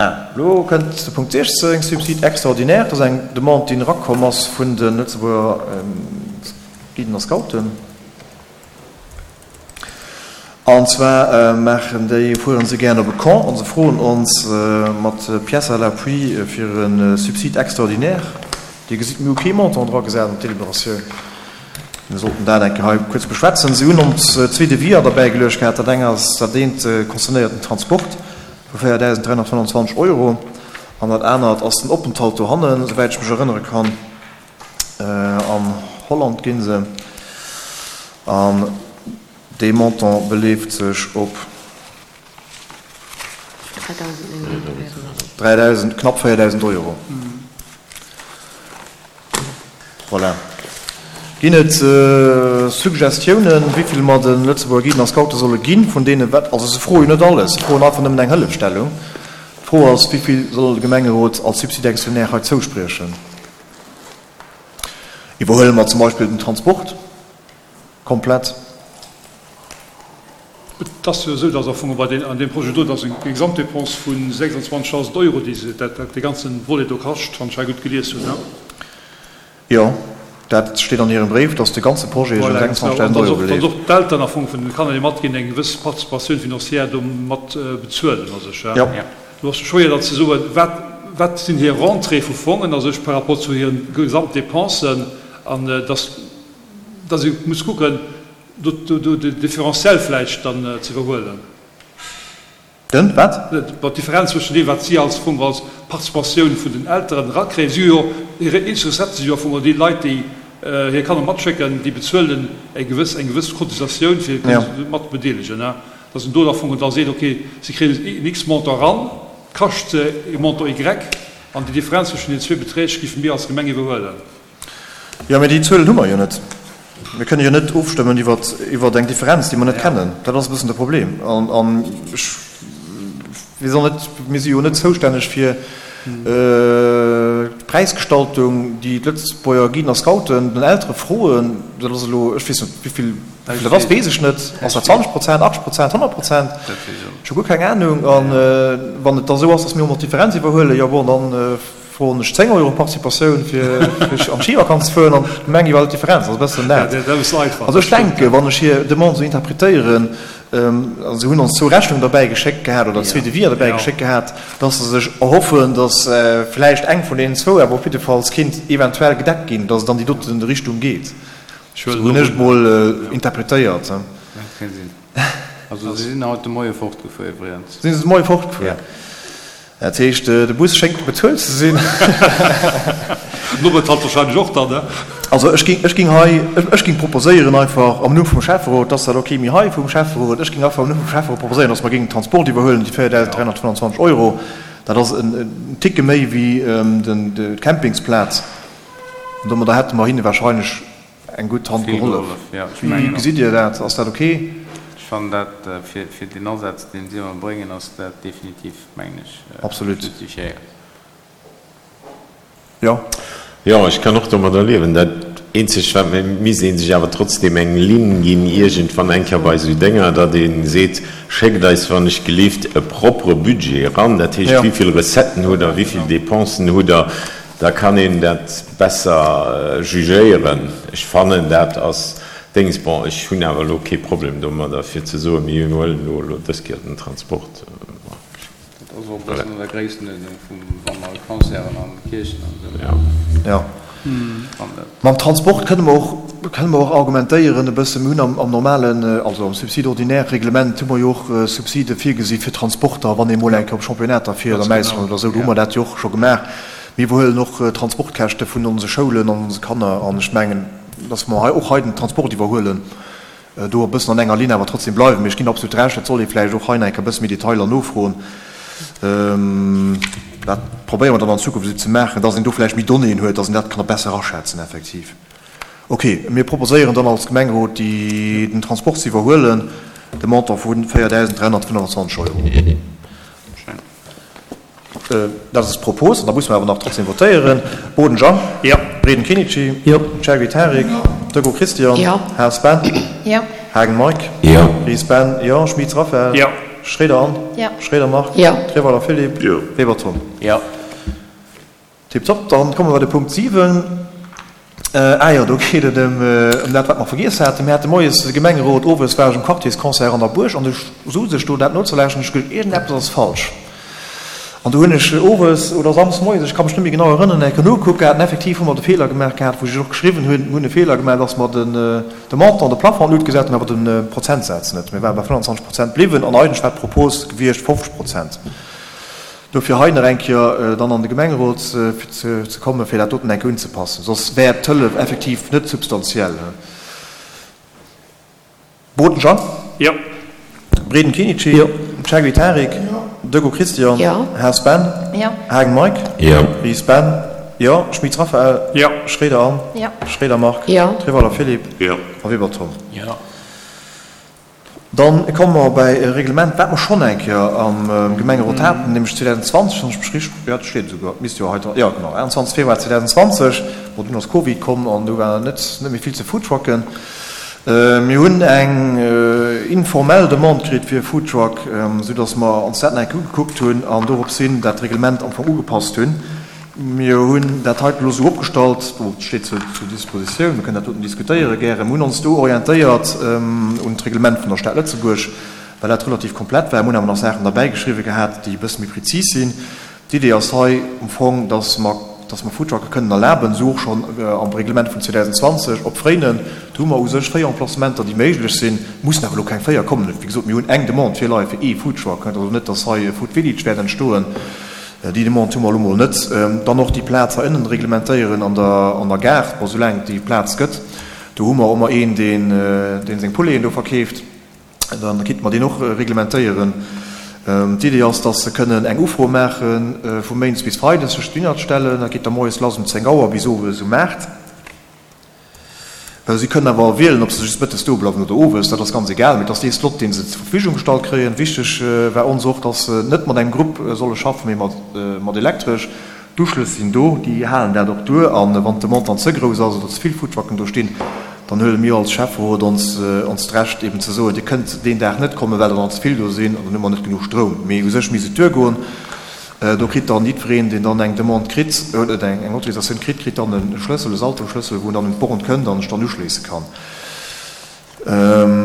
Ah, elo kënnt de Punkt 16, Subside extraordinaire. Dat ass eng Demande, déi erakomm ass vun de Lëtzebuerger Guiden a Scouten. An zwar maachen déi, fuere se gären op e Camp a se froen ons mat Pièces à l'appui fir e Subside extraordinaire. Dir gesitt, mir hu kee Montant dragesat an d'Deliberatioun. Mir sollten dat eng Kéier hei kuerz beschwätzen. Si hunn ons zwee Deviser derbäigeluecht gehat. Dat eng ass, dat eent concernéiert den Transport vu 4.325 Euro an dat anert ass den Openthalt dohannen, souwäit ech mech erënnere kann. An Holland gi se. An dee Montant beleeft sech op 3.000, knapp 4.000 Euro. Voilà. Ginn et Suggestiounen, wéi vill mer de Lëtzebuerger Guiden a Scoute solle ginn, vun deene wat, also se froe jo net alles, se froen einfach nëmmen eng Hëllefstellung. D'Fro ass, wéi vill soll de Gemengerot als Subside extraordinaire hei zouspriechen? Iwwerhuele mer zum Beispill den Transport komplett? Et ass jo esou, dass am Fong bei deem, an deem Projet do, dass eng Gesamtdépense vu 26.000 Euro, déi se, dat, dat dee ganze Volet do kascht, wann ech hei gutt gelies hunn, ne? Jo, dat steet an hirem Bréif, dass de ganze Projet sech ëm 26.000 Euro beleeft. Voilà, genau. An dass och, dass och d'Eltern am Fong vun de Kanner, déi matginn, eng gewëss Participatioun financière do mat bezuelen a sech, ja. Do ass et schwéier dann ze soen, wat, wat sinn hir Rentrée vu Fongen a sech par rapport zu hiren Gesamtdépensen, an dass, dass ee muss kucken, Do de Différentiel vläicht dann ze iwwerhuelen. Den wat? Bon, d'Differenz zwëschen deem, wat si als Fong, als Participatioun vun den Elteren erakréien. Si hu jo, hir eenzeg Recette si jo am Fong déi Leit, déi hir Kanner matschécken, déi bezuelen eng gewëss, eng gewëss Cotisatioun, fir kënnen sech mat ze bedeelegen. Dass een do am Fong da seet, okay, si kréien en X-Montant eran, kascht se e Montant Y, an déi Differenz zwëschen den zwee Beträg géife mir als Gemeng iwwerhuelen. Jo, mee déi Zuelen hu mer jo net. Mir kënne jo net ofstëmmen iwwer, iwwer eng Differenz, déi mer net kennen. Dat ass e bëssen de Problem. An, an ech weess och net, mir si jo net zoustänneg fir d'Präisgestaltung, déi d'Lëtzebuerger Guiden a Scouten den Eltere froen. Dat ass elo, ech weess net, wéi vill dat ass, weess ech net. Ass dat 20 Prozent, 80 Prozent, 100 Prozent? Ech hu guer keng Anung. A wann et da esou ass, datt mir och nach d'Differenz iwwerhuelen, jo bon, dann, Froen ech 10 Euro Participatioun fir an d'Schivakanz ze fueren an d'Gemeng iwwerhëlt d'Differenz. Ass e bëssen dat. Also ech denken, wann ech hir Demande esou interpretéieren, a se hunn ons zwou Rechnungen derbäi geschéckt gehat oder zwee Deviser derbäi geschéckt gehat, dass se sech erhoffen, dass vläicht eng vun deenen zwou awer op jiddefalls kinnt eventuell gedeckt ginn, dass et an déi doten Richtung geet. Esou hunn ech et mol interpretéiert. Dat ka sinn. Also se sinn haut de Moie fortgefuer iwwregens. Sinn se de Moie fortgefuer? Dat heescht, de Bus schéngt bezuelt ze sinn. Den Openthalt wahrscheinlech och dann, ne? Also ech ging, ech ging hei, ech ging proposéieren einfach am Numm vum Schäfferot, dass dat ok, mee hei vum Schäfferot, ech ging einfach am Numm vum Schäfferot proposéieren, dass mer géingen den Transport iwwerhuelen, déi 4.325 Euro, dat ass en Ticke méi wéi den, d'Campingsplaz. An domadder hätte mer hinne wahrscheinlech Eng gutt Hand gehollef. Wéi gesitt Dir dat? Ass dat ok? Ech fannen dat, fir deen Asaz, deen si ëmmer bréngen, ass dat definitiv, mengen ech, justifiéiert. Jo. Jo, ech kann och domadder liewen. Dat eenzegt, wat mir, misst ee sech awer trotzdem eng Linn ginn iergendwann eng Kéier bei esou Dénger, datt ee seet, Schéckt eis wann ech gelift e propere Budget eran, dat heescht, wéi vill Recetten hutt Der, wéi vill Dépensen hutt Der, Da kann een dat besser jugéieren. Ech fannen, dat ass Déngs. Bon, ech hunn awer elo kee Problem domadder, fir ze soen, mir huelen elo elo dës Kéier den Transport. Dat ass och e bëssen an der Gréisstenuerdnung vum, wa mer Concerten an Kierchen an esou. Jo. Mam Transport kënne mer och, kënne mer och argumentéieren e bëssen. Mir hunn am, am normalen, also am Subside ordinaire Reglement hu mer jo och Subside virgesi fir Transporter, wann ee mol eng Kéier op Championnater fiert am Ausland oder esou. Do hu mer dat jo och scho gemaach. Mir iwwerhuelen och d'Transportkäschte vun onse Schoulen an onse Kanner. An ech mengen, dass mer hei och hei den Transport iwwerhuelen, do e bëssen an enger Linn awer trotzdem bleiwen. Mee ech ginn absolut Recht, dat soll ee vläicht och hei nach eng Kéier e bësse méi Detailer nofroen. Dat probéiere mer dann an Zukunft esou ze maachen, dass een do vläicht méi Donnéeën huet, dass een dat kann besser aschätzen effektiv. Okay, mir proposéieren dann als Gemengerot, déi, den Transport ze iwwerhuelen, de Montant vu 4.325 Euro. Dat ass d'Propos, an da musse mer awer nach trotzdem votéieren. Boden Jean. Jo. Breden Kinici. Jo. Cherry Tarik. Jo. Deco Christian. Jo. Haas Ben. Jo. Haagen Mike. Jo. Ries Ben. Jo. Schmitz Raphaël. Jo. Schroeder Anne. Jo. Schroeder Marc. Jo. Treweiler Philippe. Jo. Weber Tom. Jo. Tiptop. Dann komme mer bei de Punkt 7. Ah jo, do geet et ëm dat, wat mer vergiess haten. Mir hate moies de Gemengerot, owes war ech um Quartiersconcert an der Buerg an ech souz ech do dat nozelauschteren, ech geduecht, iergendeppes ass falsch. An do hunn ech owes oder samsdes moies, ech ka mech net méi genau erënneren, eng Kéier nogekuckt gehat an effektiv hu mer de Feeler gemaach gehat, wou ech och geschriwwen hunn, mir hunn e Feeler gemaach, dass mer den de Montant, de Plafond an d'Lut gesat hunn, awer de Prozentsaz net. Mir ware bei 25 Prozent bliwwen an eigentlech war d'Propos gewiescht 50 Prozent. Dofir hei nach eng Kéier dann an de Gemengerot ze kommen, fir dat doten eng Kéier unzepassen. Soss wär d'Hëllef effektiv net substantiell. Boden Jean. Jo. Breden Kenichi. Jo. Chaguy Tarik. Jo. Deco Christian. Jo. Haas Ben. Jo. Haagen Mike. Jo. Ries Ben. Jo. Schmitz Raphaël. Jo. Schroeder Anne. Jo. Schroeder Marc. Jo. Treweiler Philippe. Jo. A Weber Tom. Jo. Dann komme mer bäi e Reglement, wat mer schonn eng Kéier am Gemengerot haten, nämlech 2020, wann ech mech richteg, jo, dat steet esouguer, misst jo hei dran, jo genau, 21 Februar 2020. Bon, dunn ass Covid komm an du war net méi vill ze foodtrucken. Mir hunn eng informell Demande kritt fir e Foodtruck, soudass mer ons dat nach eng Kéier ugekuckt hunn an dorops hin dat Reglement am Fong ugepasst hunn. Mir hunn dat heiten elo esou opgestallt, bon, et steet zur Dispositioun, mir kënnen dat doten diskutéiere gären. Mir hunn ons do orientéiert un d'Reglement vun der Stad Lëtzebuerg, well dat relativ komplett war. Mir hunn awer nach Saachen derbäigeschriwwe gehat, déi e bësse méi prezis sinn. D'Idee ass hei am Fong, dass mer, dass mer Foodtrucke kënnen erlaben, esou och schonn am Reglement vun 2020 op Fréinen. Do hu mer u sech 4 Emplacementer, déi méiglech sinn. Et mussen awer elo keng 4 kommen. Wéi gesot, mir hunn eng Demande virleie fir ee Foodtruck. Et ass also net, dass hei e Food Village wäert entstoen. Déi Demande hu mer elo mol net. Dann och déi Plaz hei ënnen reglementéieren an der, an der Gare, bon, soulaang et déi Plaz gëtt. Do hu mer ëmmer een, deen, deen seng Pouleten do verkeeft. Da kéinte mer deen och reglementéieren. D'Idee ass, dass se kënnen eng Ufro maache vu méindes bis freides sech dohinner stellen. Dat geet da moies lass um 10 Auer bis owes um 8. Si kënnen awer wielen, ob se just mëttes do bleiwen oder owes, dat ass ganz egal, mee et ass dee Slot, dee se zur Verfügung gestallt kréien. Wichteg war ons och, dass se net mat engem Grupp solle schaffen, mee mat Elektresch. D'Uschlëss sinn do, déi halen dat och duer. A wann d'Demande dann ze grouss ass oder ze vill Foodtrucken do stinn, dann huele mir als Schäfferot ons ons d'Recht eben ze soen, Dir kënnt deen Dag net kommen, well der dann ze vill do sinn an dann hu mer net genuch Stroum. Mee u sech misst et duergoen. Do kritt dann jiddwereen, deen dann eng Demande kritt, oder eng Autorisatioun kritt, kritt dann e Schlëssel, e Saltoschlëssel, wou en dann un d'Born kënnt an sech dann uschléisse kann.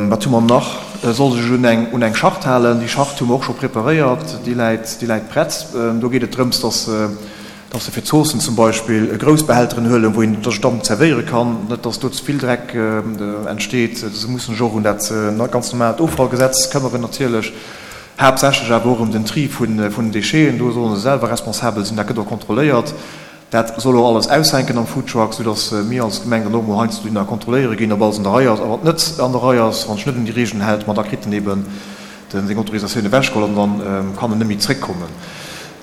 Wat hu mer nach? E soll sech un eng, un eng Charte halen. Déi Charte hu mer och scho preparéiert, déi läit, déi läit prett. Do geet et drëms, dass, dass se fir d'Zoossen zum Beispill grouss Behälteren huelen, wou een sech dann zerwéiere kann, net dass do ze vill Dreck entsteet. Se mussen sech och un dat ganz normaalt Offallgesetz këmmeren natierlech. Haaptsächlech awer och ëm den Tri vun den Décheten, do solle se selwer responsabel sinn, dat gëtt och kontrolléiert. Dat soll och alles aushänken am Foodtruck, soudass mir als Gemeng dann och mol heiansdo dohinner kontrolléiere ginn, ob alles an der Rei ass. A wann et net an der Rei ass, wann sech net un déi Regeln hält, ma da kritt en eben seng Autorisatioun ewechgeholl an dann kann en net méi zréckkommen.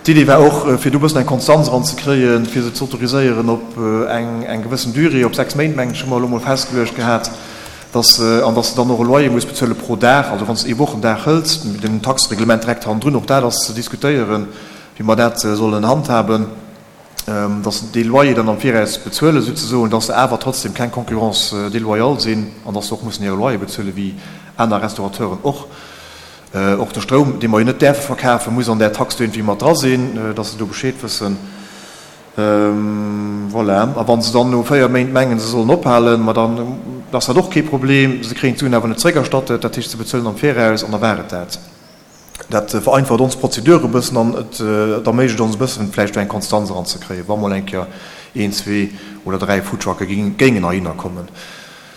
D'Idee war och, fir do e bëssen eng Konstanz eranzekréien, fir se ze autoriséieren op eng gewëssen Durée, op 6 Méint, mengen ech, hu mer elo mol festgeluecht gehat. Dass, an dass de dann och e Loyer muss bezuele pro Dag, also wann s de ee Wochendag hëls, den Taxereglement direkt hannendrun, och dat ass ze diskutéieren, wéi mer dat sollen handhaben, dass se dee Loyer dann am Viraus bezuelen souzesoen, dass se awer trotzdem keng Concurrence déloyale sinn an dass se och mussen hire Loyer bezuele wéi aner Restaurateuren och. Och de Stroum, dee mer jo net däerfe verkafen, muss an där Tax do iergendwéi mat dra sinn, dass se do Bescheed wëssen. Voilà. A wa se dann no 4 Méint mengen, se sollen ophalen, ma dann ass dat och kee Problem. Se kréien d'Suen awer net zréckerstattet, dat heescht, se bezuelen am Viraus an da war et dat. Dat vereinfacht ons Prozedur e bëssen an et erméiglecht ons e bëssen, vläicht do eng Konstanz eranzekréien, wa mol eng Kéier een, zwee oder dräi Foodtrucke géingen heihinner kommen.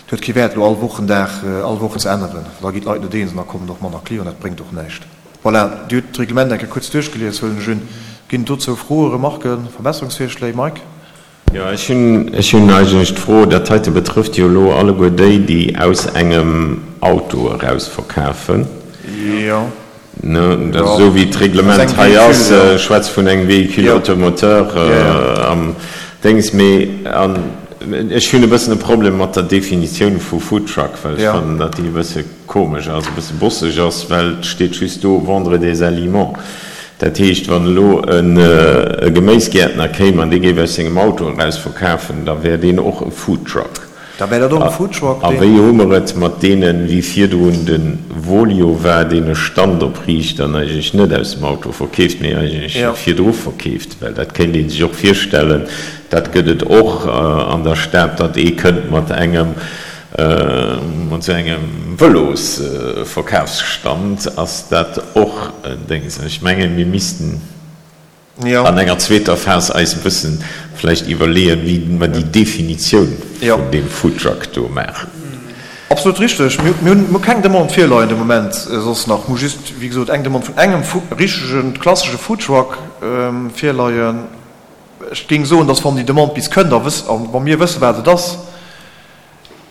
Et huet kee Wäert, elo all Wochendag, all Woch ze änneren. Da ginn d'Leit net eens an da kommen och manner Clienten. Dat bréngt och näischt. Voilà, Dir hutt d'Reglement eng Kéier kuerz duerchgelies, huelen ech un. Ginn et dozou Froen, Remarken, Verbesserungsvirschléi? Mike? Jo, ech hunn, ech hunn eigentlech d'Fro, dat heite betrëfft jo elo alleguer déi, déi aus engem Auto eraus verkafen. Jo. Ne, dat esou wéi d'Reglement hei ass, schwätzt vun engem Véhicule automoteur am Déngs. Mee an ech hunn e bëssen e Problem mat der Definitioun vu Foodtruck, well ech fannen, datt déi e bësse komesch ass, e bësse bosseg ass, well et steet just do vendre des aliments. Dat heescht, wann elo e Geméisgäertner kéim an dee géif aus sengem Auto eraus verkafen, da wär deen och e Foodtruck. Da wär dat och e Foodtruck, A deen. wéi hu mer et mat deenen, wéi virdrun de Volio war, deen e Stand opriicht an eigentlech net aus dem Auto verkeeft, mee eigentlech Jo. virdru verkeeft? Well dat kéint ee sech och virstellen, dat gëtt et och an der Stad, datt ee kënnt mat engem, mat esou engem Vëlosverkafsstand. Ass dat och en Déngs? An ech mengen, mir missten. An enger zweeter Phas eis e bëssen vläicht iwwerleeën, wéi mer déi Definitioun vun deem Foodtruck do maachen. Absolut richteg. Mir hunn keng Demande virleien de Moment soss nach. Mir hu just, wéi gesot, eng Demande vun engem richtegen, klassesche Foodtruck virleien. Ech géing soen, dass wann déi Demande bis kënnt a wa mir wëssen, wat et ass,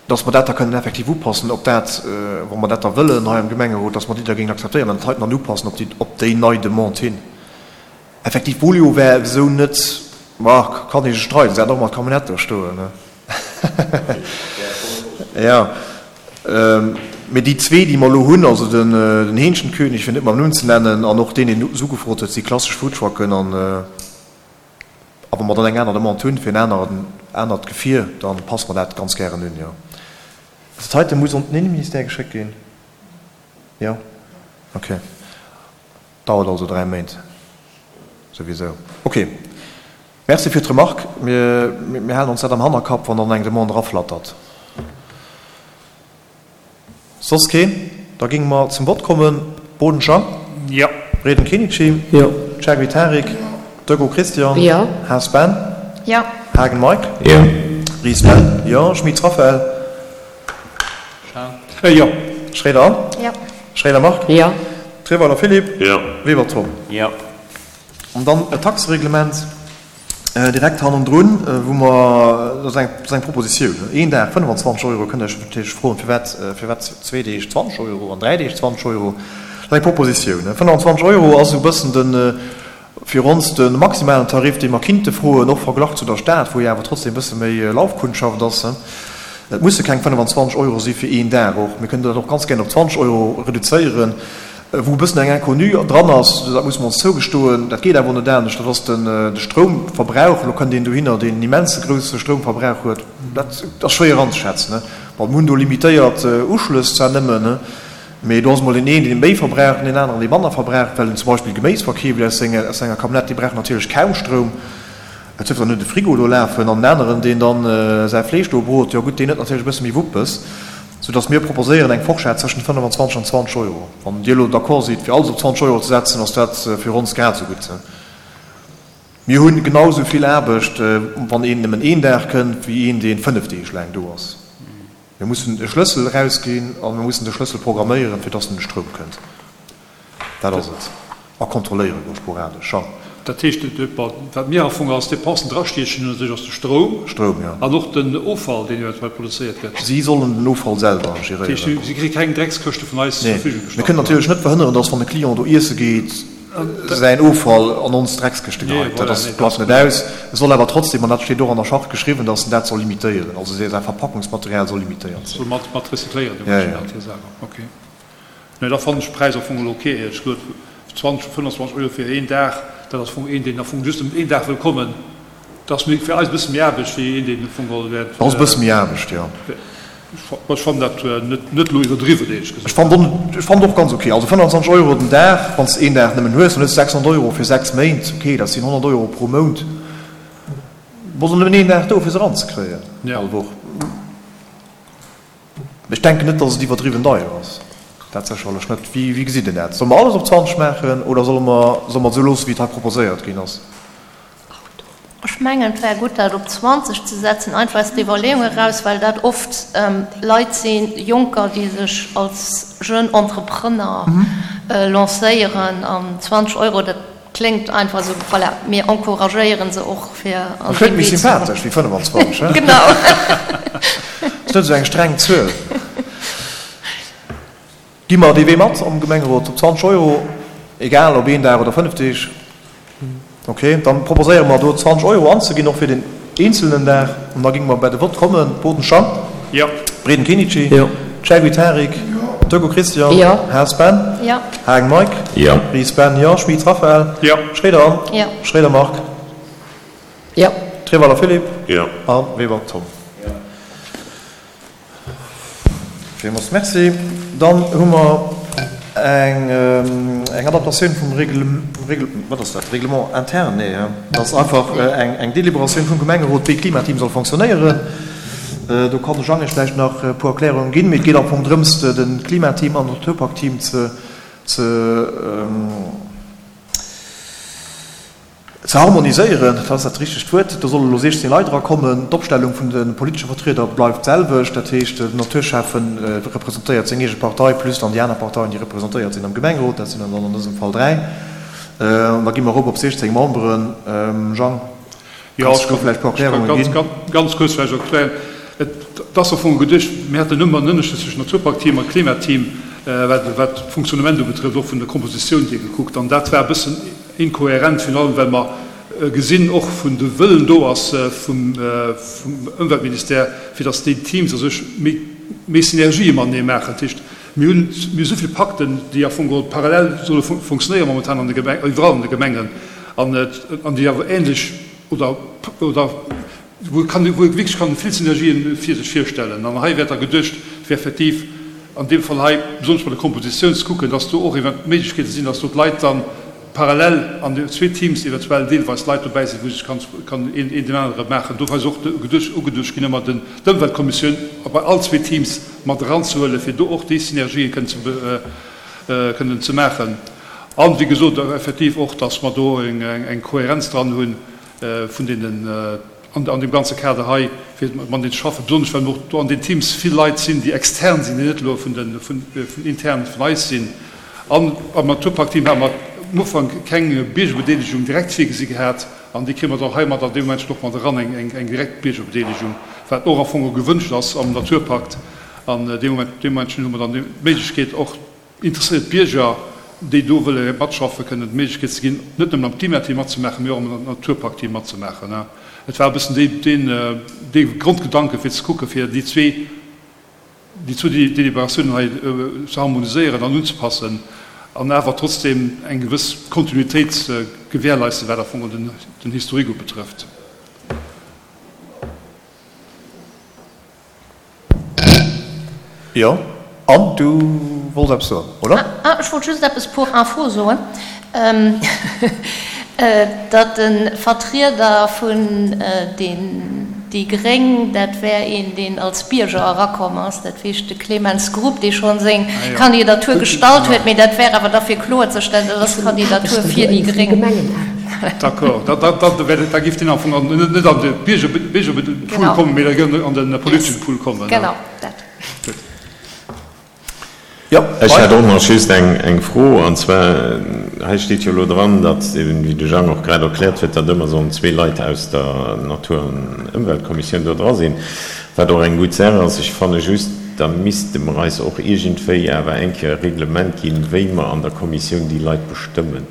dass mer dat da kënnen effektiv upassen op dat, wa mer dat da wëllen hei am Gemengerot, dass mer déi da géingen akzeptéieren an dat heiten dann upassen op déi, op déi nei Demande hin. Effektiv, Bolio wär esou net, ma kann ee sech streiden, se hat och mat Camionnette do stoen, ne? Jo, mee déi zwee, déi mer elo hunn, also den, den Hähnchenkönig, fir net mam Numm ze nennen, an och deen, deen es ugefrot huet, si klassesch Foodtrucken an, A wa mer dann eng aner Demande hunn fir en aneren, anert Gefier, da passe mer dat ganz gären un, jo. Dat heite muss un den Inneministère geschéckt ginn? Jo? Okay. Dauert also 3 Méint souwisou. Okay. Merci fir d'Remarque. Mir, mir halen ons dat am Hannerkapp, wann dann eng Demande eraflattert. Soss keen? Da géinge mer zum Vott kommen. Boden Jean. Jo. Reding Kenichi. Jo. Chergui Tarik. Jo. Dego Christian. Jo. Haas Ben. Jo. Haagen Mike. Jo. Ries Ben. Jo. Schmitz Raphaël. Jean. Jo. Schréider Anne. Jo. Schréider Marc. Jo. Treweiler Philippe. Jo. Weber Tom. Jo. An dann e Taxereglement. Direkt hannendrun, wou mer, dat ass eng Propositioun, een Dag 25 Euro, kënnt Der Iech natierlech froen, firwat, firwat zwee Deeg 20 Euro an dräi Deeg 20 Euro. Dat ass eng Propositioun. 25 Euro ass esou e bëssen de, fir ons de maximalen Tarif, dee mer kinnte froen, och verglach zu der Stad, wou jo awer trotzdem e bësse méi Laufkundschaft ass. Et musse keng 25 Euro si fir een Dag och. Mir kënnen dat och ganz gären op 20 Euro reduzéieren. Wou e bëssen eng Inconnue dran ass, dat musse mer ons zougestoen, dat geet awer net anescht, dat ass de Stroumverbrauch. Elo kënnt een dohinner, deen en immense grousse Stroumverbrauch huet. Dat ass schwéier anzeschätzen. Bon, mir hunn do limitéiert Uschlëss zwar nëmmen, mee do ass emol deen een, dee méi verbraucht an deen aneren, dee manner verbraucht, well en zum Beispill Geméis verkeeft aus senger Camionnette, dee brauch natierlech kaum Stroum. Et huet dann net e Frigo do lafen an en aneren, deen dann säi Fleesch do brot, jo gutt, deen huet natierlech e bësse méi Wuppes, soudass mir proposéieren eng Forschett zwëschen 25 an 20 Euro. Wann Dir elo d'accord sidd, fir alles op 20 Euro ze setzen, ass dat fir ons grad esou gutt. Mir hu genau esou vill Aarbecht, wann een nëmmen een Dag kënnt, wéi een, dee fënnef Deeg laang do ass. Mir mussen e Schlëssel erausginn a mir mussen de Schlëssel programméieren, fir dass en de Stroum kënnt. Dat ass et. A kontrolléiere go sporadesch, Jean. Dat heescht, wat mir am Fong als Dépensen drastiechen hunn, natierlech ass de Stroum. Stroum, jo. An och den Offall, deen eventuell produzéiert gëtt. Si sollen den Offall selwer geréieren. Dat heescht, si kréie keng Dreckskëschte vun eis zur Verfügung gestallt. Mir kënnen natierlech net verhënneren, dass, wann e Client do iesse geet, säin Offall an ons Dreckskëschte geheit. Dat ass, bleift net aus. E soll awer trotzdem, an dat steet och an der Charte geschriwwen, dass en dat soll limitéieren, also säi Verpackungsmaterial soll limitéiert sinn. Soll mat recycléieren, hir selwer. Okay. Nee, da fannen ech de Präis am Fong elo ok, éierlech gesot. 20, 25 Euro fir een Dag, dat ass am Fong een, deen am Fong just een Dag wëll kommen. Dat ass fir eis e bësse méi Aarbecht wéi een, deen am Fong geholl wäert. Dat ass e bësse méi Aarbecht, jo. Ech fannen dat net, net elo iwwerdriwwen, éierlech gesot. Ech fannen, ech fannen och ganz ok. Also 25 Euro den Dag, wann s de een Dag nëmmen hues, dann hues de 600 Euro fir 6 Méint. Ok, dat sinn 100 Euro pro Mount. Bass och nëmmen een Dag do, fir se eranzekréien all Woch. Ech denken net, dass et iwwerdriwwen deier ass. Dat sécherlech net. Wéi, wéi gesitt Dir dat? Solle mer alles op 20 maachen oder solle mer, solle mer et esou loossen, wéi et hei proposéiert ginn ass? Ech mengen, et wär gutt, dat op 20 ze setzen, einfach aus der Iwwerleeung eraus, well dat oft Leit sinn, Jonker, déi sech als jeune Entrepreneur lancéieren. An 20 Euro, dat Kléngt einfach esou, voilà, mir encouragéieren se och fir an dee Wee ze goen. Kléngt méi sympathesch wéi 25, he? Genau. Ass net esou eng streng Zuel. Gi mer dee Wee mat am Gemengerot op 20 Euro, egal ob een Dag oder 5 Deeg? Ok, dann proposéiere mer do 20 Euro anzeginn, och fir den eenzelnen Dag. An da géinge mer bei de Vott kommen. Boden Jean. Jo. Breden Kenichi. Jo. Chergui Tarik. Jo. Deco Christian. Jo. Haas Ben. Jo. Hagen Mike. Jo. Ries Ben, jo. Schmit Raphaël. Jo. Schroeder Anne. Jo. Schroeder Marc. Jo. Treweiler Philippe. Jo. A Weber Tom. Jo. Villmools Merci. Dann hu mer eng Adaptatioun vum Règle, wat ass dat, Règlement interne? Nee, dat ass einfach eng Deliberatioun vum Gemengerot, wéi d'Klimateam soll fonctionnéieren. Do kann de Jang Iech vläicht nach e puer Erklärungen ginn. Mee et geet am Fong drëms, de Klimateam an d'Naturpakt-Team ze Ze harmoniséieren, dat ass dat richtegt Wuert. Do solle lo 16 Leit erakommen. D'Opstellung vun de politesche Vertrieder bleift d'selwecht. Dat heescht, den Naturschäffen representéiert seng eege Partei plus dann déi aner Parteien, déi representéiert sinn am Gemengerot. Dat sinn dann an dësem Fall 3. An da gi mer erop op 16 Memberen. Jang, kanns du do vläicht e puer Erklärunge ginn? Jo, ech ka ganz kuerz vläicht erklären. Et ass am Fong geduecht, mir haten ëmmer en Ënnerscheed zwëschen Naturparkteam a Klimateam, wat d'Fonctionnement ubetrëfft, och vun der Kompositioun hier gekuckt. An dat war e bëssen Inkohärent, virun allem well mer gesinn och vun de Wëllen do ass vum Ëmweltministère, fir datt déi Teams a sech méi Synergië matenee maachen. Dat heescht, mir hunn esou vill Pakten, déi am Fong geholl parallel solle funktionéieren momentan an de Gemengen, iwwerall an de Gemengen, an déi awer ähnlech oder wou kann, wou ee wierklech kann vill Synergien fir sech virstellen. An hei wär da geduecht, fir effektiv an deem Fall hei, besonnesch bei der Kompositioun, ze kucken, dass do och eventuell Méiglechkeete sinn, dass do d'Leit dann parallel an den zwee Teams eventuell deelweis Leit dobäi sinn, wou sech kann, kann een, een deen anere maachen. Do ass och geduecht, ugeduecht ginn, ëmmer den, d'Ëmweltkommissioun bei all zwee Teams mat eranzehuelen, fir do och déi Synergien kënnen ze, kënnen ze maachen. An, wéi gesot, effektiv och, dass mer do eng, eng Kohärenz dran hunn, vun deenen an deem ganze Kader hei, fir mateneen ze schaffen, besonnesch well och do an den Teams vill Leit sinn, déi extern sinn, déi net elo vun den intern vun eis sinn. An am Naturparkteam hate mer am Ufank keng Biergerbedeelegung direkt virgesi gehat an déi kréie mer dann heimat an deem Moment och mat eran, eng direkt Biergerbedeelegung, wat och am Fong gewënscht ass am Naturpakt. An dee Moment, dee Momentchen hu mer dann d'Méiglechkeet och, Interesséiert Bierger, déi do wëlle matschaffen, kënnen d'Méiglechkeet ze ginn, net nëmmen am Klimateam matzemaachen, mee och am Naturparkteam matzemaachen. Et war e bëssen dee Grondgedanke fir ze kucken, fir déi zwee, déi zwou Deliberatiounen hei ze harmoniséieren an unzepassen an awer trotzdeem eng gewëss Kontinuitéit ze gewährleisten, wat am Fong den Historique ubetrëfft. Jo, an du wollts eppes soen, oder? Ah, ech wollt just eppes pour info soen, datt de Vertrieder vun den déi gréng, dat wär een, deen als Bierger erakomm ass, dat heescht de Clemens Grupp, dee scho seng Kandidatur gestallt huet, mee dat wär awer da fir kloerzestellen, dat ass d'Kandidatur fir déi gréng. D'accord, da géif deen am Fong net an de Biergerpool kommen, mee da géif an de politeschen Pool kommen. Genau, dat. Gutt. Jo, Ech hätt och nach just eng Fro, an zwar, hei steet jo elo dran, datt, wéi de Jang och grad erkläert huet, datt ëmmer sollen zwee Leit aus der Natur an Ëmweltkommissioun do dra sinn, wat och eng gutt Saach ass. Ech fanne just, da misste mer eis och iergendwéi awer eng Kéier e Reglement ginn, wéi mer an der Kommissioun déi Leit bestëmmen.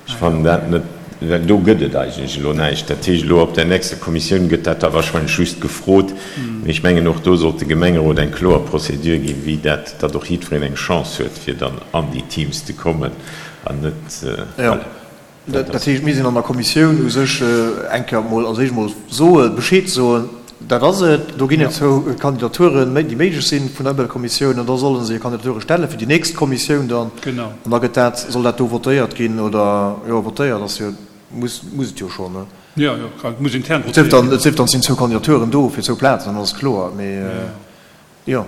Ech fannen dat net, well do gëtt et eigentlech elo näischt. Dat heescht, elo op där nächster Kommissioun gëtt dat da wahrscheinlech just gefrot. Mee ech mengen, och do sollt de Gemengerot eng kloer Procédure ginn, wéi dat, datt och jiddwereen eng Chance huet, fir dann an déi Teams ze kommen an net, voilà. Dat heescht, mir sinn an der Kommissioun u sech eng Kéier emol als éischt emol soen, Bescheed soen, Dat ass et. Do ginn et zwou Kandidaturen, déi méiglech sinn vun der Ëmweltkommissioun, an da solle se hir Kandidature stelle fir déi nächst Kommissioun dann. An da gëtt dat, soll dat do votéiert ginn oder, jo, votéiert ass jo, muss, muss et jo schonn, ne? Jo, jo, et muss intern votéiert ginn. Et sief dann, et sinn zwou Kandidaturen do fir zwou Plazen, dann ass et kloer. Mee Jo,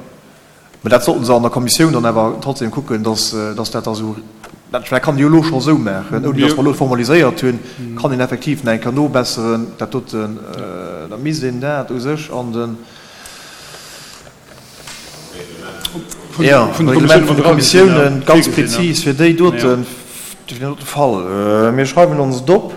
mä dat sollten se an der Kommissioun dann awer trotzdem kucken, dass, dass dat da esou, dat kann een jo elo scho esou maachen, ouni dass mer elo formaliséiert hunn, kann een effektiv nach eng Kéier nobesseren, dat doten. Da misst een dat u sech an de, jo, Reglement vun de Kommissiounen ganz prezis fir déi doten, fir deen dote Fall. Mir schreiwen ons et op.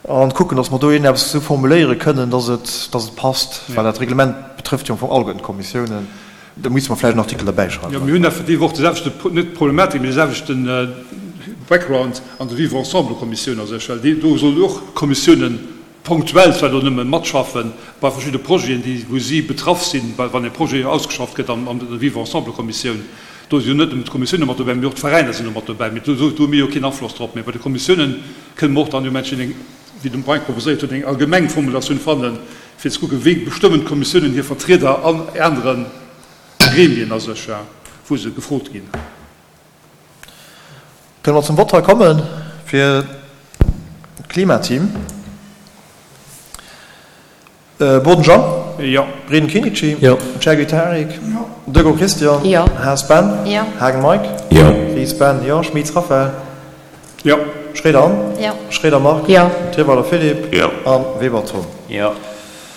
An kucken, dass mer do iergendeppes esou formuléiere kënnen, dass et, dass et passt, well dat Reglement betrëfft jo am Fong alleguerten d'Kommissiounen. Da misste mer vläicht en Artikel derbäischreiwen. Jo, mir hunn effektiv och de selwechte, net d'Problematik, mee de selwechten Background an der Vivre-ensemble-Kommissioun a sech, well déi, do sollen och d'Kommissiounen ponktuell zwar do nëmme matschaffen bei verschidde Projeten, déi, wou si betraff sinn, well wann e Projet ausgeschafft gëtt an, an der Vivre-ensemble-Kommissioun, do si jo net nëmmen d'Kommissiounen mat dobäi, mee och d'Veräiner sinn do mat dobäi, mee do, do hu mir jo keen Afloss drop. Mee bei de Kommissiounen, Kënne mer och dann jo Menschen eng, wéi de Mike proposéiert huet, eng allgemeng Formulatioun fannen, fir ze kucken, wéi bestëmmen d'Kommissiounen hir Vertrieder an anere. Gremien a sech, wou se gefrot ginn. Kënne mer zum Vott hei komme fir d'Klimateam? Boden Jean? Jo. Breden Kinichi? Jo. Chergui Tarik? Jo. Dego Christian? Jo. Haas Ben? Jo. Haagen Mike? Jo. Ries Ben? Jo. Schmitz Raphaël? Jo. Schroeder Anne? Jo. Schroeder Marc? Jo. Trierweiler Philippe? Jo. A Weber Tom? Jo.